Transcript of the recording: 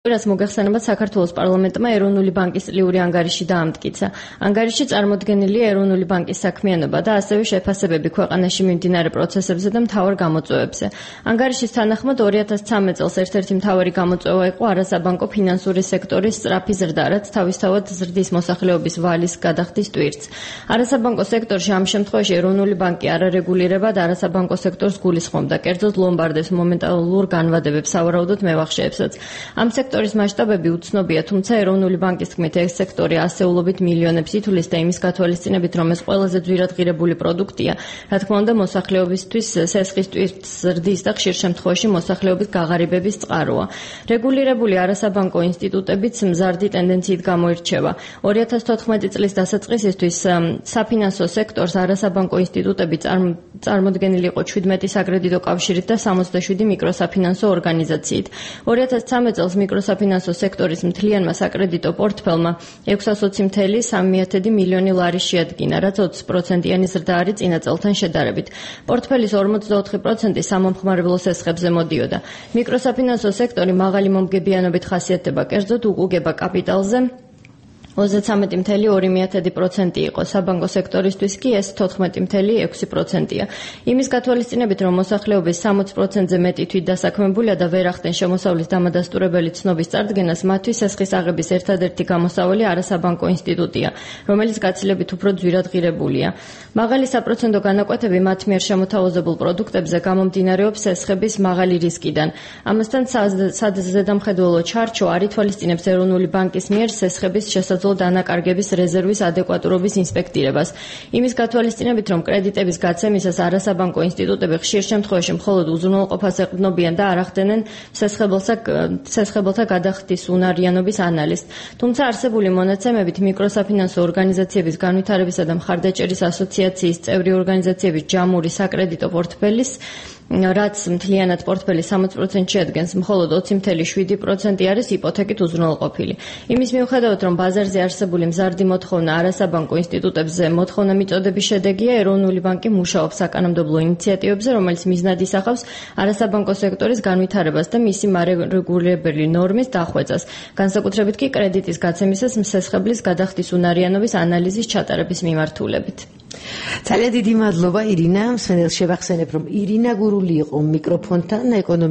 რაც მოგახსენებათ, საქართველოს პარლამენტმა ეროვნული ბანკის წლიური ანგარიში დაამტკიცა. ანგარიში წარმოდგენილია ეროვნული ბანკის საქმიანობა და ასევე შეფასებები ქვეყანაში მიმდინარე პროცესებზე და მთავარ გამოწვევებზე. ანგარიშის თანახმად 2013 წელს ერთ-ერთი მთავარი გამოწვევა იყო არასაბანკო ფინანსური სექტორის სწრაფი ზრდა, რაც თავისთავად ზრდის მოსახლეობის ვალის გადახდის ტვირთს. არასაბანკო სექტორში ამ შემთხვევაში ეროვნული ბანკი არარეგულირებად არასაბანკო სექტორს გულისხმობდა, კერძოდ ლომბარდებს, მომენტალურ განვადებებს, სავარაუდოდ მევახშეებსაც. ამ სექტორის მასშტაბები უცნობია, თუმცა ეროვნული ბანკის თქმით, ეს სექტორი ასეულობით მილიონებს ითვლის და იმის გათვალისწინებით, რომ ეს ყველაზე ძვირადღირებული პროდუქტია, რა თქმა უნდა, მოსახლეობისთვის სესხის ტვირთს ზრდის და ხშირ შემთხვევაში მოსახლეობის გაღარიბების წყაროა. რეგულირებული არასაბანკო ინსტიტუტებიც მზარდი ტენდენციით გამოირჩევა. 2014 წლის დასაწყისისთვის საფინანსო სექტორს არასაბანკო ინსტიტუტები წარმოდგენილი იყო 17 საკრედიტო კავშირით და 67 მიკროსაფინანსო ორგანიზაციით. 2013 წელს მიკროსაფინანსო სექტორის მთლიანმა საკრედიტო პორტფელმა 620,3 მილიონი ლარი შეადგინა, რაც 20%-იანი ზრდა არის წინა წელთან შედარებით. პორტფელის 44% სამომხმარებლო სესხებზე მოდიოდა. მიკროსაფინანსო სექტორი მაღალი მომგებიანობით ხასიათდება, კერძოდ უგუგება კაპიტალზე 33,2% იყო, საბანკო სექტორისთვის კი ეს 14,6%-ია. იმის გათვალისწინებით, რომ მოსახლეობის 60%-ზე მეტი თვით დასაქმებულია და ვერ ახდენ შემოსავლის დამადასტურებელი ცნობის წარდგენას, მათთვის სესხის აღების ერთადერთი გამოსავალი არასაბანკო ინსტიტუტია, რომელიც გაცილებით უფრო ძვირადღირებულია. მაღალი საპროცენტო განაკვეთები მათ მიერ შემოთავაზებულ პროდუქტებზე გამომდინარეობს სესხების მაღალი რისკიდან. ამასთან ზედამხედველო ჩარჩო არ ითვალისწინებს ეროვნული ბანკის მიერ სესხების დანაკარგების რეზერვის ადეკვატურობის ინსპექტირებას. იმის გათვალისწინებით, რომ კრედიტების გაცემისას არასაბანკო ინსტიტუტები ხშირ შემთხვევაში მხოლოდ უზრუნველყოფას ეყრდნობიან და არ ახდენენ სესხებელთა გადახდის უნარიანობის ანალიზს. თუმცა არსებული მონაცემებით მიკროსაფინანსო ორგანიზაციების განვითარებისა და მხარდაჭერის ასოციაციის წევრი ორგანიზაციების ჯამური საკრედიტო პორტფელის რაც მთლიანად პორტფელის 60% შეადგენს, მხოლოდ 20,7% არის იპოთეკით უზრუნველყოფილი. იმის მიუხედავად, რომ ბაზარზე არსებული მზარდი მოთხოვნა არასაბანკო ინსტიტუტებზე მოთხოვნა მიწოდების შედეგია, ეროვნული ბანკი მუშაობს საკანონმდებლო ინიციატივებზე, რომელიც მიზნად ისახავს არასაბანკო სექტორის განვითარებას და მისი მარეგულირებელი ნორმის დახვეწას, განსაკუთრებით კი კრედიტის გაცემისას სესხებლის გადახდის უნარიანობის ანალიზის ჩატარების მიმართულებით. ძალიან დიდი მადლობა ირინა, მსმენელს შევახსენებ, რომ ირინა გურული იყო მიკროფონთან